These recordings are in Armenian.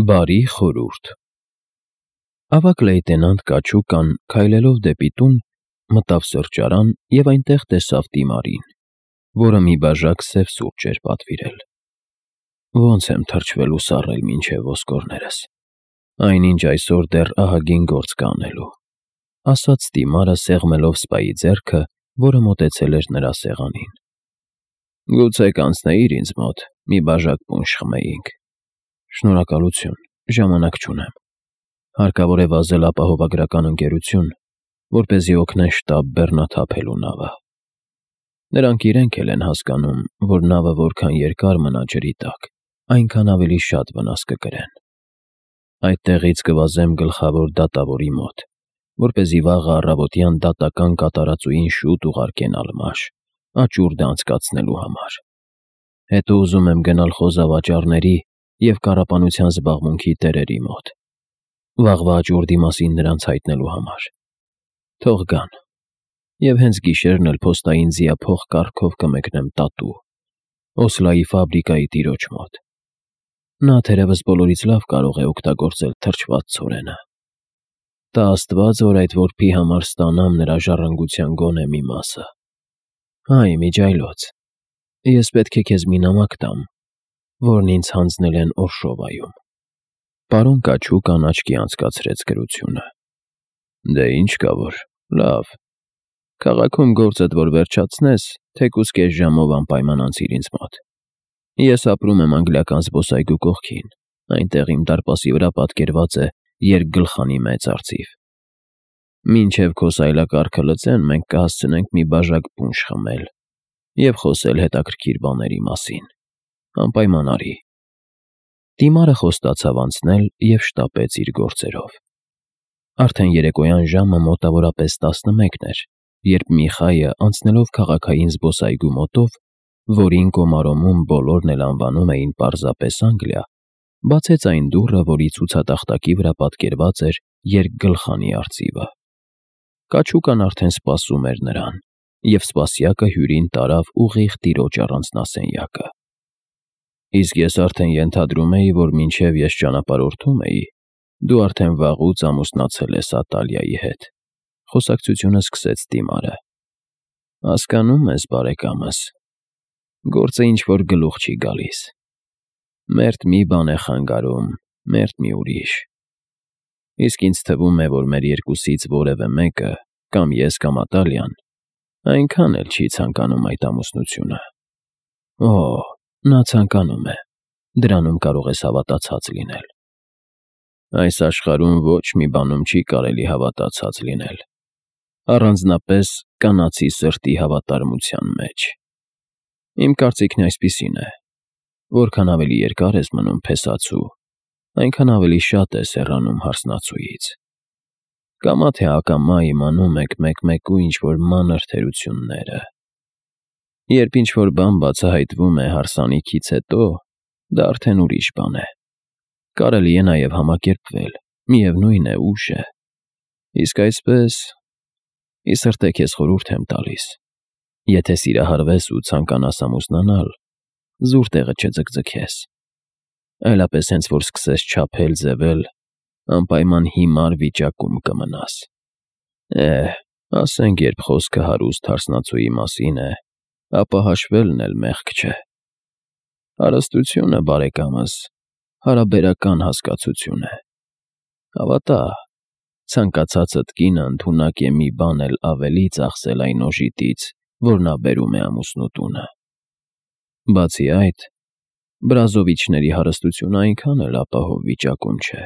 Բարի խորհուրդ։ Ավագ լեյտենանտ Կաչուկան, քայլելով դեպի տուն, մտավ սրճարան և այնտեղ տեսավ Տիմարին, որը մի բաժակ սև սուրճ էր պատվիրել։ Ոնց եմ թրջվել ու սառել մինչև ոսկորներս, այնինչ այսօր դեռ ահագին գործ կա անելու, ասաց Տիմարը սեղմելով սպայի ձեռքը, որը մոտեցել էր նրա սեղանին։ Գուցե կանցնեիր ինձ մոտ, մի բաժակ պունշ խմեինք։ Շնորհակալություն, ժամանակ չունեմ։ Հարկավոր է վազել ապահովագրական ընկերություն, որպեսզի օգնեն շտապ բեռնաթափելու նավը։ Նրանք իրենք էլ են հասկանում, որ նավը որքան երկար մնա ջրի տակ, այնքան ավելի շատ վնաս կկրեն։ Այդտեղից կվազեմ գլխավոր դատավորի մոտ, որպեսզի վաղը առավոտյան դատական կատարածուին շուտ ուղարկեն Ալմաշ, աճուրդը անցկացնելու համար։ Հետո ուզում եմ գնալ խոզավաճառների և կառապանության զբաղմունքի տերերի մոտ, վաղվա աճուրդի մասին նրանց հայտնելու համար։ Թող գան, և հենց գիշերն էլ փոստային ձիափող կառքով կմեկնեմ Տատու, Օսլայի ֆաբրիկայի տիրոջ մոտ։ Նա թերևս բոլորից լավ կարող է օգտագործել թրջված ցորենը։ Տա Աստված, որ այդ որբի համար ստանամ նրա ժառանգության գոնե մի մասը։ Այ միջայլոց, ես պետք է քեզ մի նամակ տամ, որն ինձ հանձնել են Օրշովայում։ Պարոն Կաչուկան աչքի անցկացրեց գրությունը։ Դե ինչ կա որ, լավ։ Քաղաքում գործդ որ վերջացնես, թեկուզ կես ժամով անպայման անցիր ինձ մոտ։ Ես ապրում եմ անգլիական զբոսայգու կողքին, այնտեղ իմ դարպասի վրա պատկերված է երկգլխանի մեծ արծիվ։ Մինչև քո սայլակարգը լծեն, մենք կհասցնենք մի բաժակ պունշ խմել և խոսել հետաքրքիր բաների մասին։ Անպայման արի։ Տիմարը խոստացավ անցնել և շտապեց իր գործերով։ Արդեն երեկոյան ժամը մոտավորապես 11 էր, երբ Միխայը, անցնելով քաղաքային զբոսայգու մոտով, որին Կոմարոմում բոլորն էլ անվանում էին պարզապես Անգլիա, բացեց այն դուռը, որի ցուցատախտակի վրա պատկերված էր երկգլխանի արծիվը։ Կաչուկան արդեն սպասում էր նրան, և սպասյակը հյուրին տարավ ուղիղ տիրոջ առանձնասենյակը։ Իսկ ես արդեն ենթադրում էի, որ մինչև ես ճանապարհորդում էի, դու արդեն վաղուց ամուսնացել ես Ատալիայի հետ, խոսակցությունը սկսեց Տիմարը։ Հասկանում ես, բարեկամս, գործը ինչ-որ գլուխ չի գալիս։ Մերթ մի բան է խանգարում, մերթ մի ուրիշ։ Իսկ ինձ թվում է, որ մեր երկուսից որևէ մեկը, կամ ես, կամ Ատալիան, այնքան էլ չի ցանկանում այդ ամուսնությունը։ Օ, նա ցանկանում է, դրանում կարող ես հավատացած լինել։ Այս աշխարհում ոչ մի բանում չի կարելի հավատացած լինել, առանձնապես կանացի սրտի հավատարմության մեջ։ Իմ կարծիքն այսպիսին է. որքան ավելի երկար ես մնում փեսացու, այնքան ավելի շատ ես հեռանում հարսնացուից։ Կամա թե ակամա իմանում եք մեկ-մեկու ինչ-որ մանր թերությունները։ Երբ ինչ-որ բան բացահայտվում է հարսանիքից հետո, դա արդեն ուրիշ բան է։ Կարելի է նաև համակերպվել, միևնույն է ուշ է։ Իսկ այսպես, ի սրտե քեզ խորհուրդ եմ տալիս, եթե սիրահարվես ու ցանկանաս ամուսնանալ, զուր տեղը չձգձգես։ Այլապես հենց որ սկսես չափել, ձևել, անպայման հիմար վիճակում կմնաս։ Ասենք երբ խոսքը հարուստ հարսնացուի մասին է, ապա հաշվելն էլ մեղք չէ։ Հարստությունը, բարեկամս, հարաբերական հասկացություն է։ Հավատա, ցանկացածդ կինը ընդունակ է մի բան էլ ավելի ծախսել այն օժիտից, որ նա բերում է ամուսնու տունը։ Բացի այդ, Բրազովիչների հարստությունը այնքան էլ ապահով վիճակում չէ։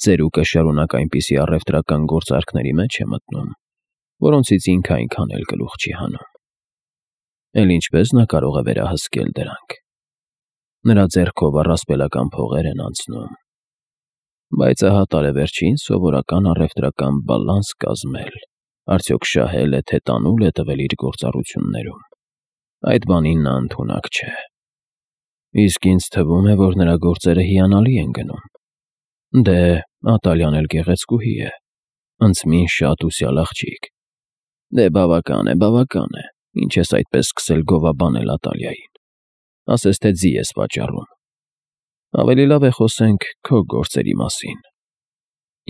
Ծերուկը շարունակ այնպիսի առևտրական գործարքների մեջ է մտնում, որոնցից ինքը այնքան էլ գլուխ չի հանում։ Էլ ինչպես նա կարող է վերահսկել դրանք։ Նրա ձեռքով առասպելական փողեր են անցնում։ Բայց ահա տարեվերջին սովորական առևտրական բալանս կազմել, արդյոք շահել է, թե տանուլ է տվել իր գործառույթներում։ Այդ բանին նա ընդունակ չէ։ Իսկ ինձ թվում է, որ նրա գործերը հիանալի են գնում։ Դե, Ատալիան էլ գեղեցկուհի է, ընծմին շատ ուսյալ աղջիկ։ Դե բավական է, ինչ ես այդպես սկսել գովաբանել Ատալիային։ Ասես թե ձի ես վաճառում։ Ավելի լավ է խոսենք քո գործերի մասին։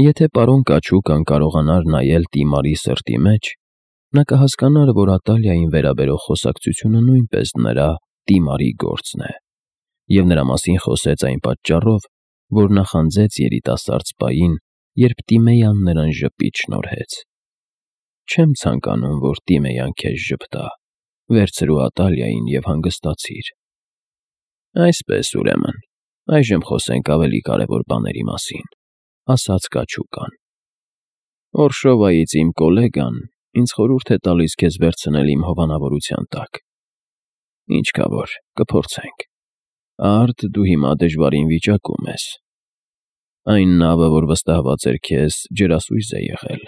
Եթե պարոն Կաչուկան կարողանար նայել Տիմարի սրտի մեջ, նա կհասկանար, որ Ատալիային վերաբերող խոսակցությունը նույնպես նրա Տիմարի գործն է, և նրա մասին խոսեց այն պատճառով, որ նախանձեց երիտասարդ սպային, երբ Տիմեյան նրան ժպիտ շնորհեց։ Չեմ ցանկանում, որ Տիմեյան քեզ ժպտա, վերցրու Ատալիային և հանգստացիր։ Այսպես, ուրեմն, այժմ խոսենք ավելի կարևոր բաների մասին, ասաց Կաչուկան։ Օրշովայից իմ կոլեգան ինձ խորհուրդ է տալիս քեզ վերցնել իմ հովանավորության տակ։ Ինչ կա որ, կփորձենք։ Արդ դու հիմա դժվարին վիճակում ես։ Այն նավը, որ վստահված էր քեզ, ջրասույզ է եղել։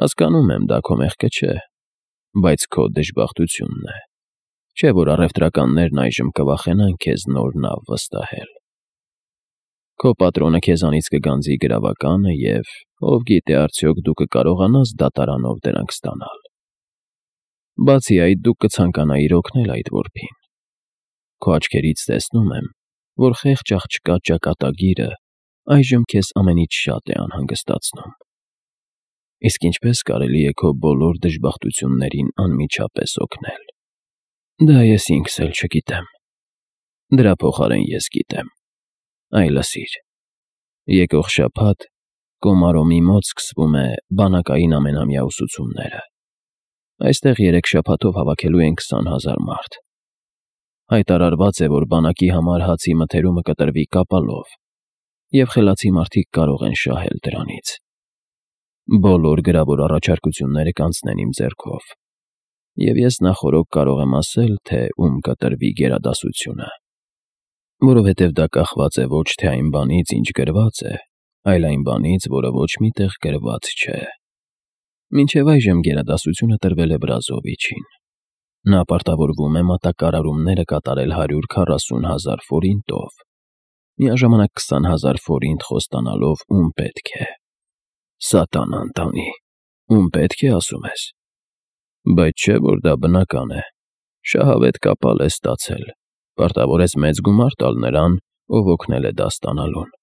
Հասկանում եմ, դա քո մեղքը չէ, բայց քո դժբախտությունն է։ Չէ՞ որ առևտրականներն այժմ կվախենան քեզ նոր նավ վստահել։ Քո պատրոնը քեզանից կգանձի գրավականը և, ով գիտե, արդյոք դու կկարողանաս դատարանով դրանք ստանալ։ Բացի այդ, դու կցանկանայիր օգնել այդ որբին։ Քո աչքերից տեսնում եմ, որ խեղճ աղջկա ճակատագիրը այժմ քեզ ամենից շատ է անհանգստացնում։ Իսկ ինչպես կարելի է քո բոլոր դժբախտություններին անմիջապես օգնել։ Դա ես ինքս էլ չգիտեմ։ Դրա փոխարեն ես գիտեմ։ Այ լսիր, եկող շաբաթ Կոմարոմի մոտ սկսվում է բանակային ամենամյա ուսուցումները։ Այստեղ 3 շաբաթով հավաքելու են 20,000 մարդ։ Հայտարարված է, որ բանակի համար հացի մթերումը կտրվի կապալով, և խելացի մարդիկ կարող են շահել դրանից։ Բոլոր գրավոր առաջարկությունները կանցնեն իմ ձեռքով, և ես նախօրոք կարող եմ ասել, թե ում կտրվի գերադասությունը, որովհետև դա կախված է ոչ թե այն բանից, ինչ գրված է, այլ այն բանից, որը ոչ մի տեղ գրված չէ։ Մինչև այժմ գերադասությունը տրվել է Բրազովիչին։ Նա պարտավորվում է մատակարարումները կատարել 140,000 ֆորինտով, միաժամանակ 20,000 ֆորինտ խոստանալով ում պետք է։ Սատանան տանի, ում պետք է, ասում ես։ Բայց չէ՞ որ դա բնական է։ Շահավետ կապալ է ստացել, պարտավոր ես մեծ գումար տալ նրան, ով օգնել է դա ստանալուն։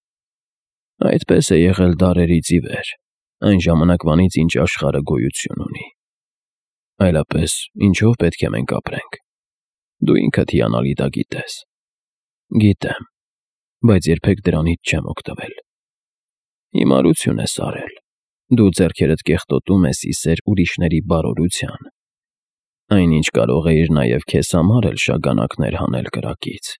Այդպես է եղել դարերից ի վեր, այն ժամանակվանից, ինչ աշխարհը գոյություն ունի։ Այլապես ինչով պետք է մենք ապրենք։ Դու ինքդ հիանալի դա գիտես։ Գիտեմ, բայց երբեք դրանից չեմ օգտվել։ Հիմարություն ես արել։ Դու ձեռքերդ կեղտոտում ես իսեր ուրիշների բարօրության։ Այնինչ կարող էիր նաև քեզ համար էլ շագանակներ հանել կրակից։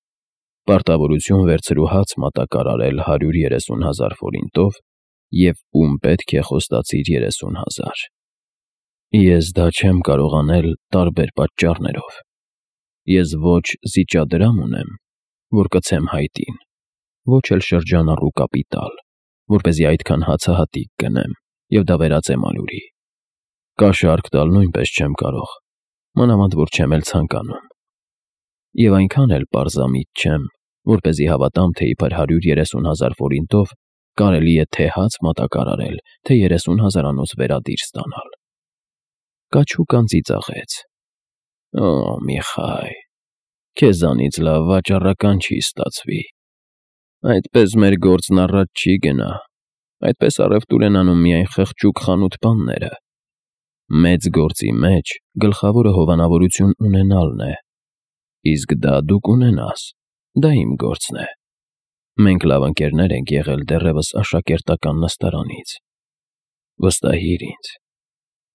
Պարտավորություն վերցրու հաց մատակարարել 130,000 ֆորինտով և ում պետք է խոստացիր 30,000։ Ես դա չեմ կարող անել տարբեր պատճառներով։ Ես ոչ զիջադրամ ունեմ, որ կցեմ հայտին, ոչ էլ շրջանառու կապիտալ, որպեսզի այդքան հացահատիկ գնեմ և դա վերածեմ ալյուրի։ Կաշառք տալ նույնպես չեմ կարող, մանավանդ որ չեմ էլ ցանկանում։ Եվ այնքան էլ պարզամիտ չեմ, որպեսզի հավատամ, թե իբր 130,000 ֆորինտով կարելի է թե հաց մատակարարել, թե 30,000-անոց վերադիր ստանալ։ Կաչուկան ծիծաղեց։ Օ, Միխայ, քեզանից լավ վաճառական չի ստացվի։ Այդպես մեր գործն առաջ չի գնա։ Այդպես առևտուր են անում միայն խղճուկ խանութ֊պանները։ Մեծ գործի մեջ գլխավորը հովանավորություն ունենալն է, իսկ դա դու կունենաս, դա իմ գործն է։ Մենք լավ ընկերներ ենք եղել դեռևս աշակերտական նստարանից։ Վստահիր ինձ։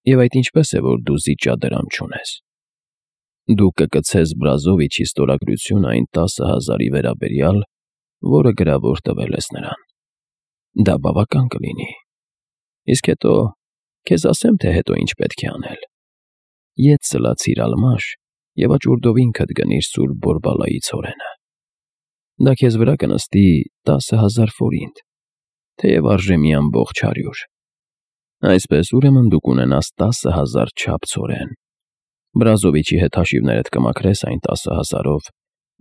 Եվ այդ ինչպես է, որ դու զիջադրամ չունես։ Դու կկցես Բրազովիչի ստորագրությունը այն 10,000-ի վերաբերյալ, որը գրավոր տվել ես նրան։ Դա բավական կլինի։ Իսկ հետո քեզ ասեմ, թե հետո ինչ պետք է անել։ Ետ սլացիր Ալմաշ և աճուրդով ինքդ գնիր Սուրբ Բորբալայի ցորենը։ Դա քեզ վրա կնստի 10,000 ֆորինտ, թեև արժե մի ամբողջ 100։ Այսպես, ուրեմն դու կունենաս 10,000 չափ ցորեն։ Բրազովիչի հետ հաշիվներդ կմաքրես այն 10,000-ով,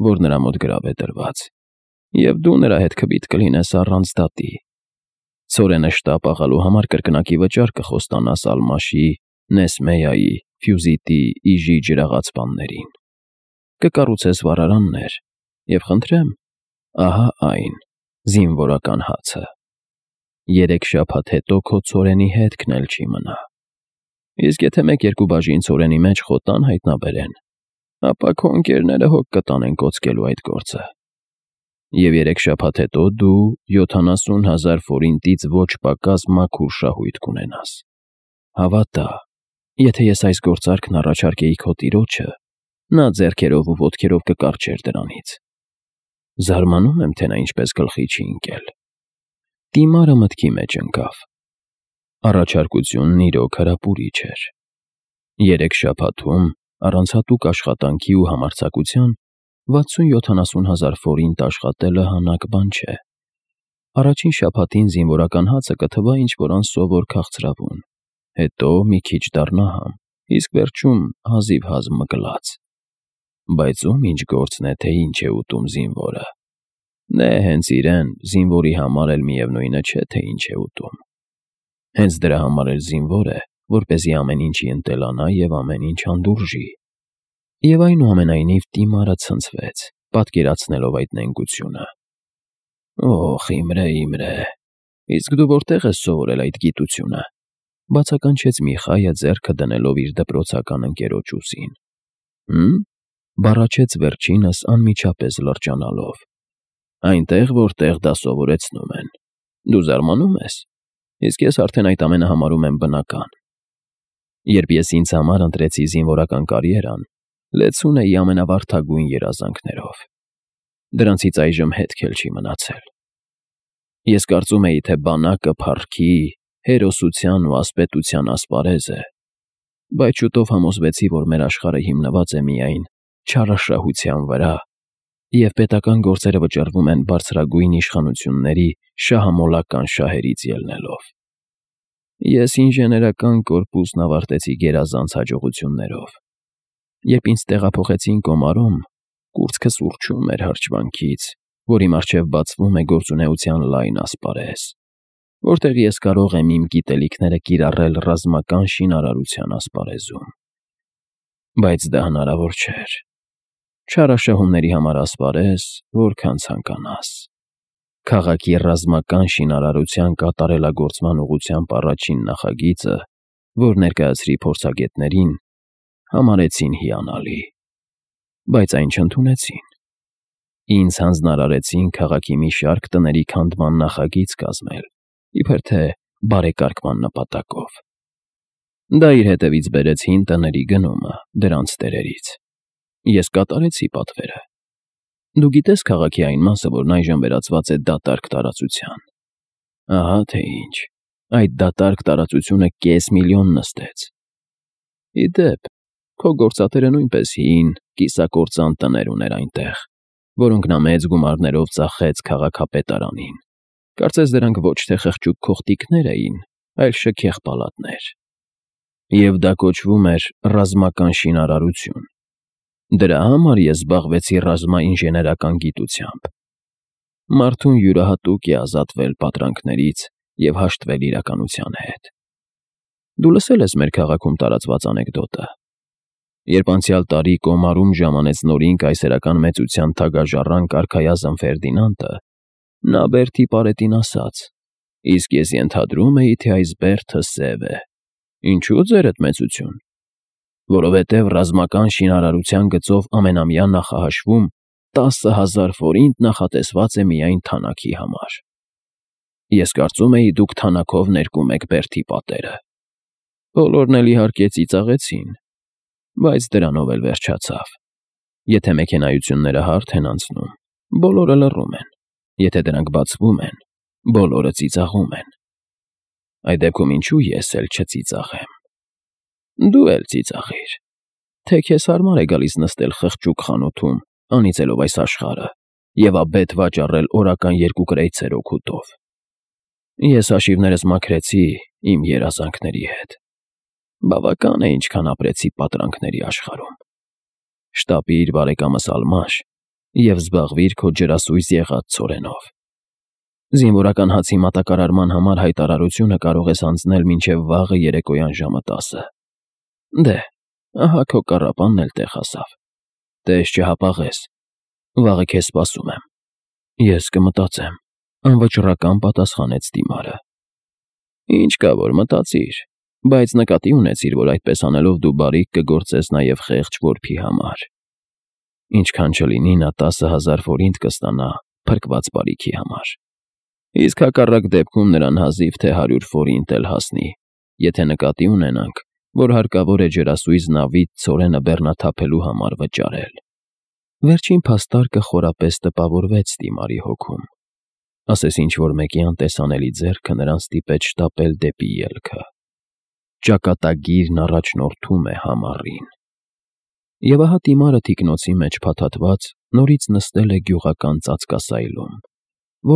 որ նրա մոտ գրավ է դրված, և դու նրա հետ քվիթ կլինես առանց դատի։ Ցորենը շտապ աղալու համար կրկնակի վճար կխոստանաս Ալմաշի, Նեսմեայի, Ֆյուզիտի, Իժի ջրաղացպաններին։ Կկառուցես վառարաններ, և խնդրեմ, Ահա այն, զինվորական հացը։ 3 շաբաթ հետո քո ցորենի հետքն էլ չի մնա։ Իսկ եթե 1-2 բաժին ցորենի մեջ խոտան հայտնաբերեն, ապա քո ընկերները հոգ կտանեն կոծկելու այդ գործը։ Եվ 3 շաբաթ հետո դու 70,000 ֆորինտից ոչ պակաս մաքուր շահույթ կունենաս։ Հավատա, եթե ես այս գործարքն առաջարկեի քո տիրոջը, նա ձեռքերով ու ոտքերով կկարչեր դրանից։ Զարմանում եմ, թե նա ինչպես գլխի չի ընկել։ Տիմարը մտքի մեջ ընկավ։ Առաջարկությունն իրոք հրապուրիչ էր։ 3 շաբաթում, առանց հատուկ աշխատանքի ու համարձակության, 60-70,000 ֆորինտ աշխատելը հանաք բան չէ։ Առաջին շաբաթին զինվորական հացը կթվա ինչ-որ անսովոր քաղցրավուն, հետո մի քիչ դառնա համ, իսկ վերջում հազիվ մկլած։ Բայց ում ինչ գործն է, թե ինչ է ուտում զինվորը։ Դե հենց իրեն, զինվորի համար էլ միևնույնը չէ, թե ինչ է ուտում։ Հենց դրա համար էլ զինվոր է, որպեսզի ամեն ինչի ընտելանա և ամեն ինչ հանդուրժի։ Եվ այնուամենայնիվ Տիմարը ցնցվեց, պատկերացնելով այդ նենգությունը։ Օխ, Իմրե, իսկ դու որտե՞ղ ես սովորել այդ գիտությունը, բացականչեց Միխայը ձեռքը դնելով իր դպրոցական ընկերոջ ուսին։ Բառաչեց վերջինս անմիջապես լրջանալով։ Այնտեղ, որտեղ դա սովորեցնում են։ Դու զարմանում ես, իսկ ես արդեն այդ ամենը համարում եմ բնական։ Երբ ես ինձ համար ընտրեցի զինվորական կարիերան, լեցուն էի ամենավարդագույն երազանքներով։ Դրանցից այժմ հետք էլ չի մնացել։ Ես կարծում էի, թե բանակը փառքի, հերոսության ու ասպետության ասպարեզ է, բայց շուտով համոզվեցի, որ մեր աշխարհը հիմնված է միայն չարաշահության վրա, և պետական գործերը վճռվում են բարձրագույն իշխանությունների շահամոլական շահերից ելնելով։ Ես ինժեներական կորպուսն ավարտեցի գերազանց հաջողություններով։ Երբ ինձ տեղափոխեցին Կոմարում, կուրծքս ուռչում էր հրճվանքից, որի առջև բացվում է գործունեության լայն ասպարեզ, որտեղ ես կարող եմ իմ գիտելիքները կիրառել ռազմական շինարարության ասպարեզում։ Բայց դա հնարավոր չէր։ Չարաշահումների համար ասպարեզ, որքան ցանկանաս։ Քաղաքի ռազմական շինարարության կատարելագործման ուղղությամբ առաջին նախագիծը, որ ներկայացրի փորձագետներին, համարեցին հիանալի, բայց այն չընդունեցին։ Ինձ հանձնարարեցին քաղաքի մի շարք տների քանդման նախագիծ կազմել, իբր թե բարեկարգման նպատակով։ Դա իր հետևից բերեց հին տների գնումը դրանց տերերից։ Ես կատարեցի պատվերը։ Դու գիտես քաղաքի այն մասը, որն այժմ վերածված է դատարկ տարածության։ Ահա թե ինչ, այդ դատարկ տարածությունը կես միլիոն նստեց։ Ի դեպ, քո գործատերը նույնպես հին, կիսակործան տներ ուներ այնտեղ, որոնք նա մեծ գումարներով ծախեց քաղաքապետարանին։ Կարծես դրանք ոչ թե խղճուկ քողտիկներ էին, այլ շքեղ պալատներ։ Եվ դա կոչվում էր ռազմական շինարարություն։ Դրա համար ես զբաղվեցի ռազմաինժեներական գիտությամբ։ Մարդուն յուրահատուկ է ազատվել պատրանքներից և հաշտվել իրականության հետ։ Դու լսել ես մեր քաղաքում տարածված անեկդոտը։ Երբ անցյալ տարի Կոմարում ժամանեց նորին կայսերական մեծության թագաժառանգ արքայազն Ֆերդինանդը, նա Բերդի պարետին ասաց. «Իսկ ես ենթադրում էի, թե այս Բերդը սև է։ Ինչու ձերդ մեծություն։ Որովհետև ռազմական շինարարության գծով ամենամյա նախահաշվում 10,000 ֆորինտ նախատեսված է միայն թանաքի համար։ Ես կարծում էի, դուք թանաքով ներկում եք Բերդի պատերը։ Բոլորն էլ իհարկե ծիծաղեցին, բայց դրանով էլ վերջացավ։ Եթե մեքենայությունները հարթ են անցնում, բոլորը լռում են, եթե դրանք բացվում են, բոլորը ծիծաղում են։ Այդ դեպքում ինչու ես էլ չծիծաղեմ։ Դու էլ ծիծաղիր, թե քեզ հարմար է գալիս նստել խղճուկ խանութում, անիծելով այս աշխարհը և աբեթ վաճառել օրական 2 կրեյցեր օգուտով։ Ես հաշիվներս մաքրեցի իմ երազանքների հետ։ Բավական է ինչքան ապրեցի պատրանքների աշխարհում։ Շտապիր բարեկամս Ալմաշ և զբաղվիր քո ջրասույզ եղած ցորենով։ Զինվորական հացի մատակարարման համար հայտարարությունը կարող ես անցնել մինչև վաղը երեկոյան ժամը 10։ Դե, ահա քո կառապանն էլ տեղ հասավ։ Տես չհապաղես, վաղը քեզ սպասում եմ։ Ես կմտածեմ, անվճռական պատասխանեց Դիմարը։ Ինչ կա որ մտածիր, բայց նկատի ունեցիր, որ այդպես անելով դու բարիք կգործես նաև խեղճ որբի համար։ Ինչքան չլինի նա 10,000 ֆորինտ կստանա փրկված բարիքի համար։ Իսկ հակառակ դեպքում նրան հազիվ թե 100 ֆորինտ էլ հասնի, եթե նկատի ունենանք, որ հարկավոր է ջրասույզ նավից ցորենը բեռնաթափելու համար վճարել։ Վերջին փաստարկը խորապես տպավորվեց Դիմարի հոգում։ Ասես ինչ-որ մեկի անտեսանելի ձեռքը նրան ստիպեց շտապել դեպի ելքը։ Ճակատագիրն առաջնորդում է համառին։ Եվ ահա Դիմարը թիկնոցի մեջ փաթաթված նորից նստել է գյուղական ծածկասայլում,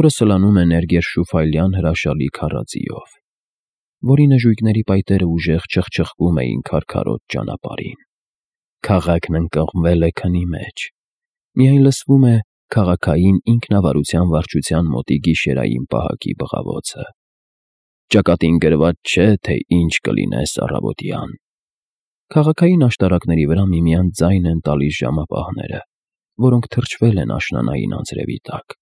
որը սլանում է Ներգերշուֆայլյան հրաշալի քարաձիով, որի նժույգների պայտերը ուժեղ չխչխկում էին քարքարոտ ճանապարհին։ Քաղաքն ընկղմվել է քնի մեջ։ Միայն լսվում է քաղաքային ինքնավարության վարչության մոտի գիշերային պահակի բղավոցը։ Ճակատին գրված չէ, թե ինչ կլինես առավոտյան։ Քաղաքային աշտարակների վրա միմյանց ձայն են տալիս ժամապահները, որոնք թրջվել են աշնանային անձրևի տակ։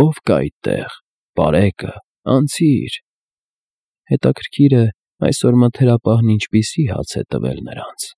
Ո՞վ կա այդտեղ, պարեկը, անցիր։ Հետաքրքիր է, այսօր մթերապահն ինչպիսի հաց է տվել նրանց։